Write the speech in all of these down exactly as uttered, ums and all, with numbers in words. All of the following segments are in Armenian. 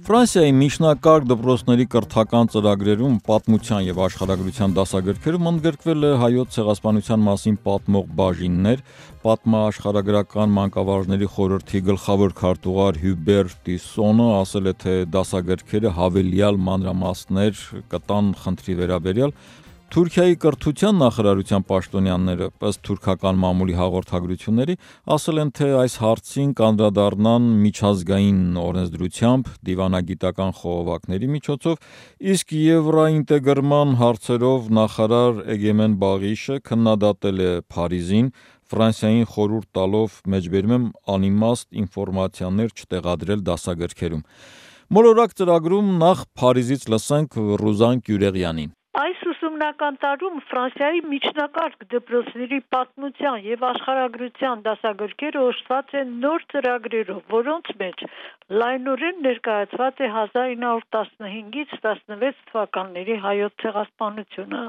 Ֆրանսիայի միջնակարգ դպրոցների կրթական ծրագրերում պատմության և աշխարհագրության դասագրքերում ընդգրկվել է հայոց ցեղասպանության մասին պատմող բաժիններ, պատմաաշխարհագրական մանկավարժների խորհրդի գլխավոր քարտուղար Հյուբեր Տիսոնը ասել է, թե դասագրքերը հավելյալ մանրամասներ կտան խնդրի վերաբերյալ։ Թուրքիայի կրթության նախարարության պաշտոնյաները, ըստ թուրքական մամուլի հաղորդագրությունների, ասել են, թե այս հարցին կանդրադառնան միջազգային օրենսդրությամբ, դիվանագիտական խողովակների միջոցով, իսկ եվրաինտեգրման հարցերով նախարար Էգեմեն Բաղիշը քննադատել է Փարիզին, Ֆրանսիային խորհուրդ տալով, մեջբերում եմ, անիմաստ ինֆորմացիաներ չտեղադրել դասագրքերում։ Մոլորակ ծրագրում նախ Փարիզից լսենք Ռուզան Կյուրեղյանին։ Այս ուսումնական տարում Ֆրանսիայի միջնակարգ դպրոցների պատմության և աշխարհագրության դասագրքերը օժտված են նոր ծրագրերով, որոնց մեջ լայնորեն ներկայացված է հազար ինը հարյուր տասնհինգից տասնվեց թվականների հայոց ցեղասպանությունը։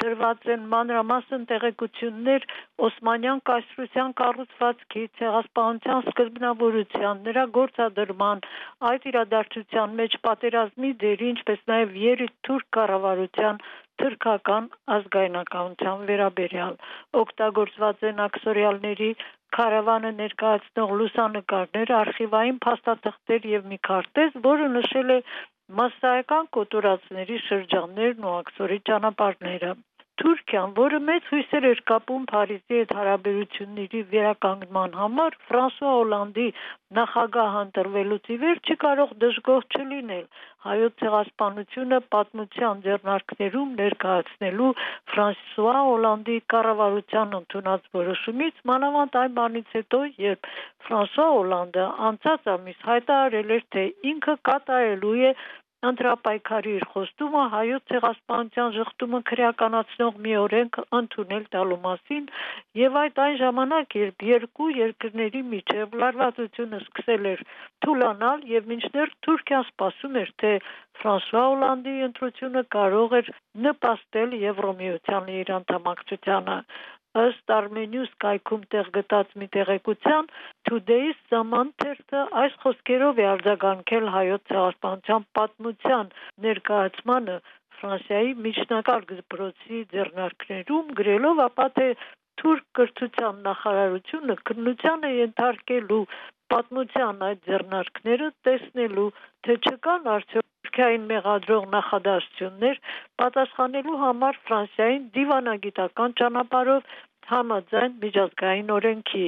Դրված են մանրամասն տեղեկություններ Օսմանյան կայսրության կառուցվածքի, ցեղասպանության սկզբնավորության, նրա գործադրման, այդ իրադարձության մեջ պատերազմի դերի, ինչպես նաև երրորդ թուրք կառավարության թուրքական ազգայնականության վերաբերյալ։ Օգտագործված են աքսորիալների քարավանը ներկայացնող լուսանկարներ, արխիվային փաստաթղթեր և մի քարտեզ, որը նշել է մասսայական կոտորածների շրջաններն ու աքսորի ճանապարհները։ Թուրքիան, որը մեծ հույսեր էր կապում Փարիզի հետ հարաբերությունների վերականգնման համար, Ֆրանսուଆ Օլանդի նախագահ ընտրվելուց ի վեր չի կարող դժգոհ չլինել հայոց ցեղասպանությունը պատմության ձեռնարկներում ներկայացնելու Ֆրանսուଆ Օլանդի կառավարության ընդունած որոշումից, մանավանդ այն բանից հետո, երբ Ֆրանսուଆ Օլանդը անցած ամիս հայտարարել էր, թե ինքը կատարելու է ընտրապայքարի իր խոստումը հայոց ցեղասպանության ժխտումը քրեականացնող մի օրենք ընդունել տալու մասին, եւ այդ այն ժամանակ, երբ երկու երկրների միջև լարվածությունը սկսել էր թուլանալ եւ մինչդեռ Թուրքիան սպասում էր, թե Ֆրանսուଆ Օլանդի ընտրությունը կարող էր նպաստել Եվրոմիության իր անդամակցությանը։ Ըստ Armenius կայքում տեղ գտած մի տեղեկության, Today's Zaman թերթը այս խոսքերով է արձագանքել հայոց ցեղասպանության պատմության ներկայացմանը Ֆրանսիայի միջնակարգ դպրոցի ձեռնարկներում, գրելով ապա, թե թուրք կրթության նախարարությունը քննության է ենթարկելու պատմության այդ ձեռնարկները, տեսնելու, թե չկան արդյոք Թուրքիային մեղադրող նախադասություններ պատասխանելու համար Ֆրանսիային դիվանագիտական ճանապարհով համաձայն միջազգային օրենքի։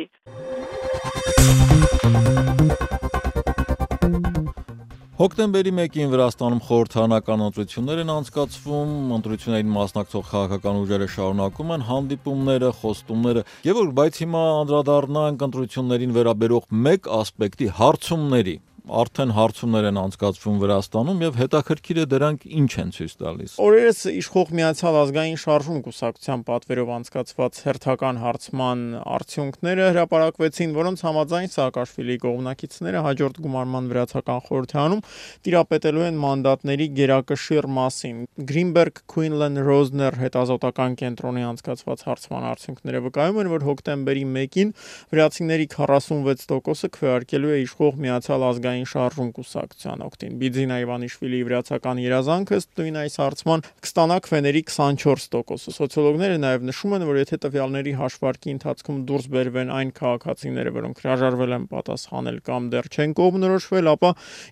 Հոկտեմբերի մեկին Վրաստանում խորհրդարանական ընտրություններ են անցկացվում, ընտրություններին մասնակցող քաղաքական ուժերը շարունակում են հանդիպումները, խոստումները, Գևորգ, բայց հիմա անդրադառնանք ընտրություններին վերաբերող մեկ ասպեկտի հարցումների։ Արդեն հարցումներ են անցկացվում Վրաստանում եւ հետաքրքիր է դրանք ինչ են ցույց տալիս։ Օրերս իշխող Միացյալ ազգային շարժում կուսակցության պատվերով անցկացված հերթական հարցման արդյունքները հրապարակվեցին, որոնց համաձայն Սաակաշվիլիի կողմնակիցները հաջորդ գումարման վրացական խորհրդարանում տիրապետելու են մանդատների գերակշիռ մասին։ Greenberg Quinlan Rosner հետազոտական կենտրոնի անցկացված հարցման արդյունքները վկայում են, որ հոկտեմբերի մեկին վրացիների քառասունվեց տոկոսը քվեարկելու է իշխող Միացյալ ազգային շարժում կուսակցության օգտին։ Բիձինա Իվանիշվիլիի վրացական երազանքը ըստ նույն այս հարցման կստանա քվեների քսանչորս տոկոսը։ Սոցիոլոգները նաև նշում են, որ եթե տվյալների հաշվարկի ընթացքում դուրս բերվեն այն քաղաքացիները, որոնք հրաժարվել են պատասխանել կամ դեռ չեն կողմնորոշվել, ապա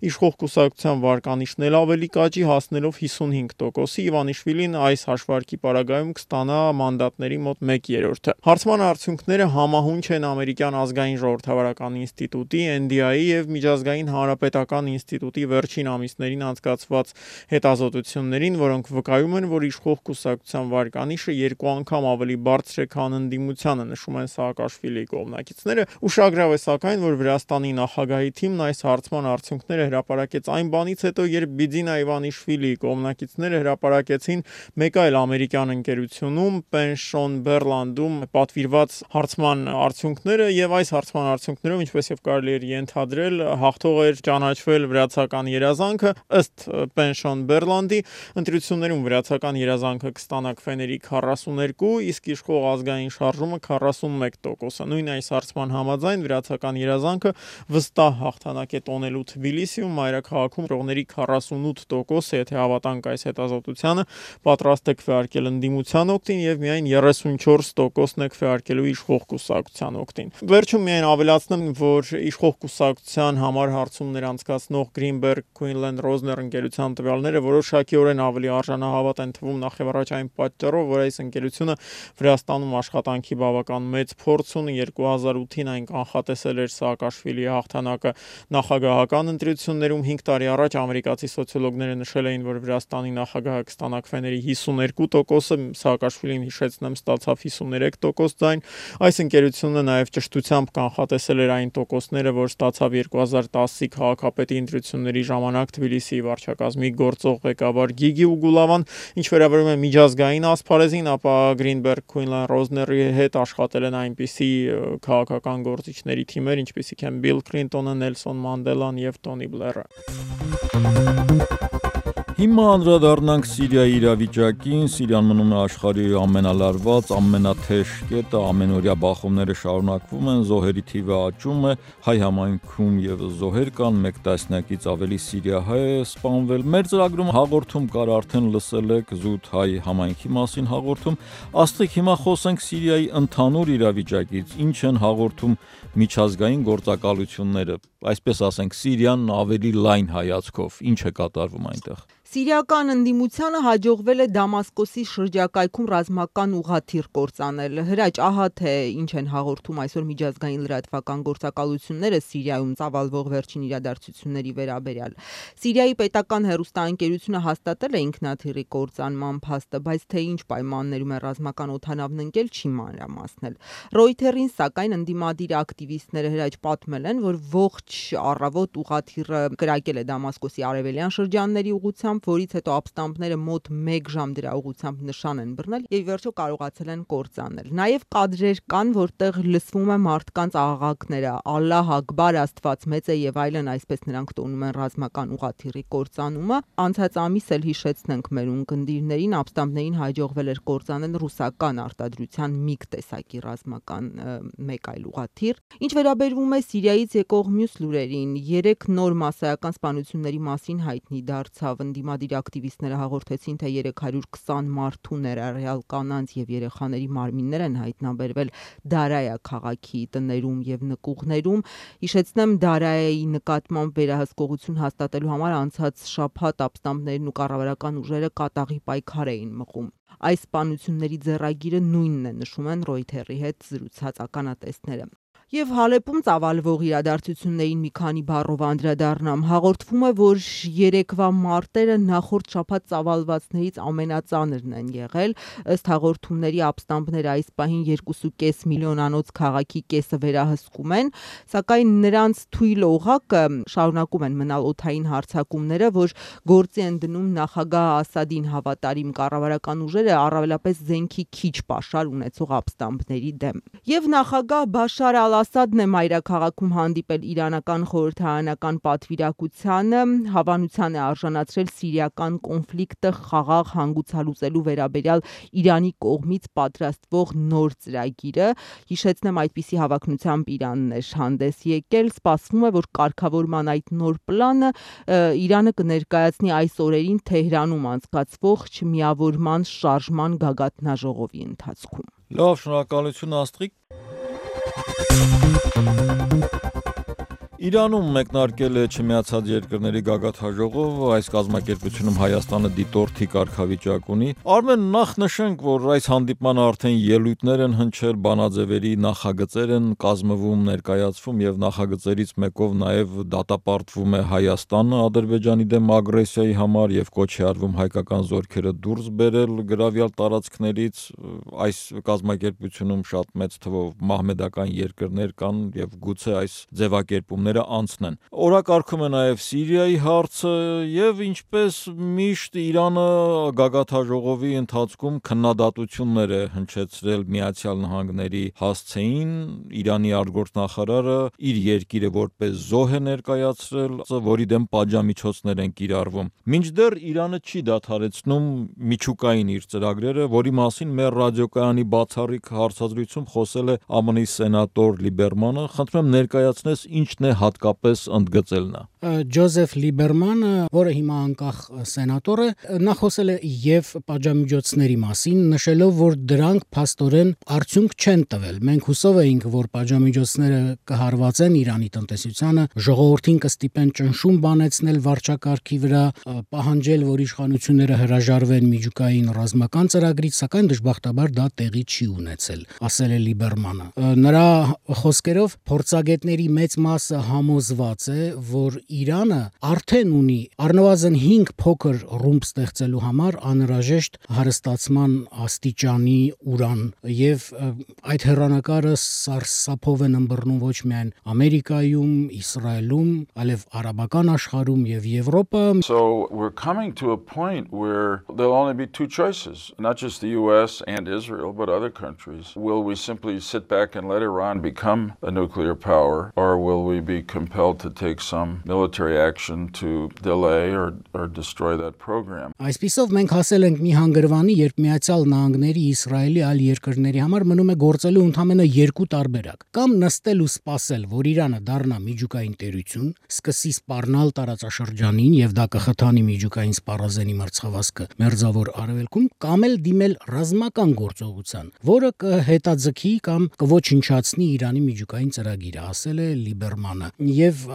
իշխող կուսակցության վարկանիշն էլ ավելի կաճի, հասնելով հիսունհինգ տոկոսի, Իվանիշվիլին այս հաշվարկի պարագայում կստանա մանդատների մոտ մեկ երրորդը։ Հարցման արդյունքները համահունչ են ամերիկյան ազգային ժողովրդավարական ինստիտուտի, N D I-ի եւ միջազգային հանրապետական ինստիտուտի վերջին ամիսներին անցկացված հետազոտություններին, որոնք վկայում են, որ իշխող կուսակցության վարկանիշը երկու անգամ ավելի բարձր է, քան ընդդիմությանը, նշում են Սաակաշվիլիի կողմնակիցները։ Ուշագրավ է սակայն, որ Վրաստանի նախագահի թիմն այս հարցման արդյունքները հրապարակեց այն բանից հետո, երբ Բիձինա Իվանիշվիլիի կողմնակիցները հրապարակեցին մեկ այլ ամերիկյան ընկերությունում, Pension Berland-ում պատվիրված հարցման արդյունքները, եւ այս հարցման արդյունքներով, ինչպես եւ կարելի էր ենթադրել, հաղթող կարող էր ճանաչվել վրացական երազանքը, ըստ Pension Berlandi ընտրություններում վրացական երազանքը կստանա քվեների քառասուներկու, իսկ իշխող ազգային շարժումը քառասունմեկ տոկոսը։ Նույն այս հարցման համաձայն վրացական երազանքը վստահ հաղթանակ է տոնելու Թբիլիսիում, մայրաքաղաքում ռողների քառասունութ տոկոսը, եթե հավատանք այս հետազոտությանը, պատրաստ է քվեարկել ընդդիմության օգտին եւ միայն երեսունչորս տոկոսն է քվեարկելու իշխող կուսակցության օգտին։ Վերջում միայն ավելացնեմ, որ իշխող կուսակցության համար հարցումներ անցկացնող Greenberg Quinlan Rosner ընկերության տվյալները որոշակիորեն ավելի արժանահավատ են թվում նախևառաջ այն պատճառով, որ այս ընկերությունը Վրաստանում աշխատանքի բավական մեծ փորձ ունի, երկու հազար ութին այն կանխատեսել էր Սաակաշվիլիի հաղթանակը նախագահական ընտրություններում, հինգ տարի առաջ ամերիկացի սոցիոլոգները նշել էին, որ Վրաստանի նախագահը կստանա քվեների հիսուներկու տոկոսը, Սաակաշվիլին հիշեցնեմ ստացավ հիսուներեք տոկոս ձայն։ Այս ընկերությունը նաև ճշտությամբ կանխատեսել էր այն տոկոսները, որ ստացավ երկու հազար տասի քաղաքապետի ընտրությունների ժամանակ Թբիլիսիի վարչակազմի գործող ղեկավար Գիգի Ուգուլավան, ինչ վերաբերում է միջազգային ասպարեզին, ապա Greenberg Quinlan Rosner-ի հետ աշխատել են այնպիսի քաղաքական գործիչների թիմեր, ինչպիսիք են Bill Clinton-ը, Nelson Mandela-ն եւ Tony Blair-ը։ Հիմա անդրադառնանք Սիրիայի իրավիճակին։ Սիրիան մնում է աշխարհի ամենալարված, ամենաթեժ կետը, ամենօրյա բախումները շարունակվում են, զոհերի թիվը աճում է, հայ համայնքում եւս զոհեր կան, մեկ տասնյակից ավելի սիրիահայ է սպանվել։ Մեր ծրագրում հաղորդում կար, արդեն լսել եք զուտ հայ համայնքի մասին հաղորդում։ Աստղիկ, հիմա խոսենք Սիրիայի ընդհանուր իրավիճակից, ինչ են հաղորդում միջազգային գործակալությունները, այսպես ասենք, Սիրիան ավելի լայն հայացքով, ինչ է կատարվում այնտեղ։ Սիրիական ընդդիմությանը հաջողվել է Դամասկոսի շրջակայքում ռազմական ուղղաթիռ կործանել։ Հրաչ, ահա թե ինչ են հաղորդում այսօր միջազգային լրատվական գործակալությունները Սիրիայում ծավալվող վերջին իրադարձությունների վերաբերյալ։ Սիրիայի պետական հեռուստաընկերությունը հաստատել է ինքնաթիռի կործանման փաստը, բայց թե ինչ պայմաններում է ռազմական օդանավն ընկել, չի մանրամասնել։ Reuters-ին սակայն ընդդիմադիր ակտիվիստները հրաչ պատմել են, որ ողջ առավոտ ուղղաթիռը կրակել է Դամասկոսի արևելյան շրջանների ուղղությամբ, որից հետո ապստամբները մոտ մեկ ժամ դրա ուղղությամբ նշան են բռնել եւ վերջո կարողացել են կործանել։ Նաեւ կադրեր կան, որտեղ լսվում է մարդկանց աղաղակները՝ Ալլահ Ակբար, Աստված մեծ է եւ այլն, այսպես նրանք տոնում են ռազմական ուղղաթիռի կործանումը։ Անցած ամիս էլ հիշեցնենք մեր ունկնդիրներին, ապստամբներին հաջողվել էր կործանել ռուսական արտադրության միգ տեսակի ռազմական մեկ այլ ուղղաթիռ։ Ինչ վերաբերվում է Սիրիայից եկող մյուս լուրերին, երեք նոր մասսայական սպանությունների մասին հայտնի դարձավ։ Ընդդիմադիր ակտիվիստները հաղորդեցին, թե երեք հարյուր քսան մարդու ներառյալ կանանց եւ երեխաների մարմիններ են հայտնաբերվել Դարայա քաղաքի տներում եւ նկուղներում։ Հիշեցնեմ, Դարայայի նկատմամբ վերահսկողություն հաստատելու համար անցած շաբաթ ապստամբներն ու կառավարական ուժերը կատաղի պայքար էին մղում։ Այս սպանությունների ձեռագիրը նույնն է, նշում են Reuters-ի հետ զրուցած ականատեսները։ Եվ Հալեպում ծավալվող իրադարձություններին մի քանի բառով անդրադառնամ։ Հաղորդվում է, որ երեկվա մարտերը նախորդ շաբաթ ծավալվածներից ամենածանրն են եղել։ Ըստ հաղորդումների ապստամբները այս պահին երկու կես միլիոնանոց քաղաքի կեսը վերահսկում են, սակայն նրանց թույլ օղակը շարունակում են մնալ օդային հարձակումները, որ գործի են դնում նախագահ Ասադին հավատարիմ կառավարական ուժերը, առավելապես զենքի քիչ պաշար ունեցող ապստամբների դեմ։ Եվ նախագահ Բաշար Ասադն է մայրաքաղաքում հանդիպել իրանական խորհրդարանական պատվիրակությանը, հավանության է արժանացրել սիրիական կոնֆլիկտը խաղաղ հանգուցալուծելու վերաբերյալ Իրանի կողմից պատրաստվող նոր ծրագիրը։ Հիշեցնեմ, այդպիսի հավակնությամբ Իրանն էր հանդես եկել։ Սպասվում է, որ կարգավորման այդ նոր պլանը Իրանը կներկայացնի այս օրերին Թեհրանում անցկացվող չմիավորման շարժման գագաթնաժողովի ընթացքում։ Լավ, շնորհակալություն Աստղիկ։ Իրանում մեկնարկել է Չմիացած երկրների գագաթնաժողովը, այս կազմակերպությունում Հայաստանը դիտորդի կարգավիճակ ունի։ Արմեն, նախ նշենք, որ այս հանդիպմանը արդեն ելույթներ են հնչել, բանաձևերի նախագծեր են կազմվում, ներկայացվում եւ նախագծերից մեկով նաեւ դատապարտվում է Հայաստանը Ադրբեջանի դեմ ագրեսիայի համար եւ կոչ է արվում հայկական զորքերը դուրս բերել գրավյալ տարածքներից։ Այս կազմակերպությունում շատ մեծ թվով մահմեդական երկրներ կան եւ գուցե այս ձևակերպումները պայմանները անցնեն։ Օրակարգում է նաև Սիրիայի հարցը եւ ինչպես միշտ Իրանը գագաթաժողովի ընթացքում քննադատություններ է հնչեցրել Միացյալ Նահանգների հասցեին, Իրանի արտգործնախարարը իր երկիրը որպես զոհ է ներկայացրել, որի դեմ պատժամիջոցներ են կիրառվում։ Մինչդեռ Իրանը չի դադարեցնում միջուկային իր ծրագրերը, որի մասին մեր ռադիոկայանի բացառիկ հարցազրույցում խոսել է Ամն սենատոր Լիբերմանը, խնդրում եմ ներկայացնես ինչն է հատկապես ընդգծել նա։ Ջոզեֆ Լիբերմանը, որը հիմա անկախ սենատոր է, նա խոսել է եւ պատժամիջոցների մասին, նշելով, որ դրանք փաստորեն արդյունք չեն տվել։ Մենք հուսով էինք, որ պատժամիջոցները կհարվածեն Իրանի տնտեսությանը, ժողովրդին կստիպեն ճնշում բանեցնել վարչակարգի վրա, պահանջել, որ իշխանությունները հրաժարվեն միջուկային ռազմական ծրագրից, սակայն դժբախտաբար դա տեղի չի ունեցել, ասել է Լիբերմանը։ Նրա խոսքերով փորձագետների մեծ մասը համոզված է, որ Իրանը արդեն ունի առնվազն հինգ փոքր ռումբ ստեղծելու համար անհրաժեշտ հարստացման աստիճանի ուրան, եւ այդ հեռանկարը սարսափով են ըմբռնում ոչ միայն Ամերիկայում, Իսրայելում, այլև արաբական աշխարհում եւ Եվրոպա. So we're coming to a point where there'll only be two choices, not just the U S and Israel, but other countries. Will we simply sit back and let Iran become a nuclear power, or will we be compelled to take some military action to delay or, or destroy that program? Այսպիսով մենք հասել ենք մի հանգրվանի, երբ Միացյալ Նահանգների, Իսրայելի այլ երկրների համար մնում է գործելու ընդամենը երկու տարբերակ. կամ նստել ու սպասել, որ Իրանը դառնա միջուկային տերություն, սկսի սպառնալ տարածաշրջանին եւ դա կխթանի միջուկային սպառազենի մրցավազքը Մերձավոր Արևելքում, կամ էլ դիմել ռազմական գործողության, որը կհետաձգի կամ կոչնչացնի Իրանի միջուկային ծրագիրը, ասել է Լիբերմանը, եւ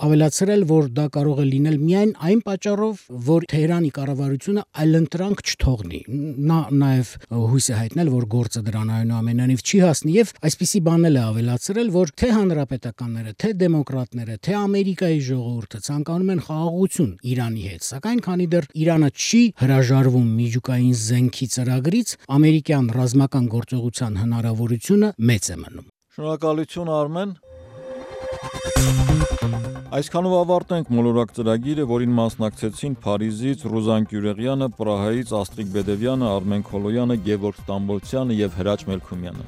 ավելացրել, որ դա կարող է լինել միայն այն պատճառով, որ Թեհրանի կառավարությունը այլընտրանք չթողնի։ Նա նաեւ հույս է հայտնել, որ գործը դրան այնուամենայնիվ չի հասնի, եւ այսպիսի բանել է ավելացրել, որ թե հանրապետականները, թե դեմոկրատները, թե Ամերիկայի ժողովուրդը ցանկանում են խաղաղություն Իրանի հետ, սակայն քանի դեռ Իրանը չի հրաժարվում միջուկային զենքի ծրագրից, ամերիկյան ռազմական գործողության հնարավորությունը մեծ է մնում։ Շնորհակալություն Արմեն։ Այսքանով ավարտենք մոլորակ ծրագիրը, որին մասնակցեցին Փարիզից Ռուզան Կյուրեղյանը, Պրահայից Աստրիկ Բեդևյանը, Արմեն Քոլոյանը, Գևորգ Ստամբոլցյանը եւ Հրաչ Մելքումյանը։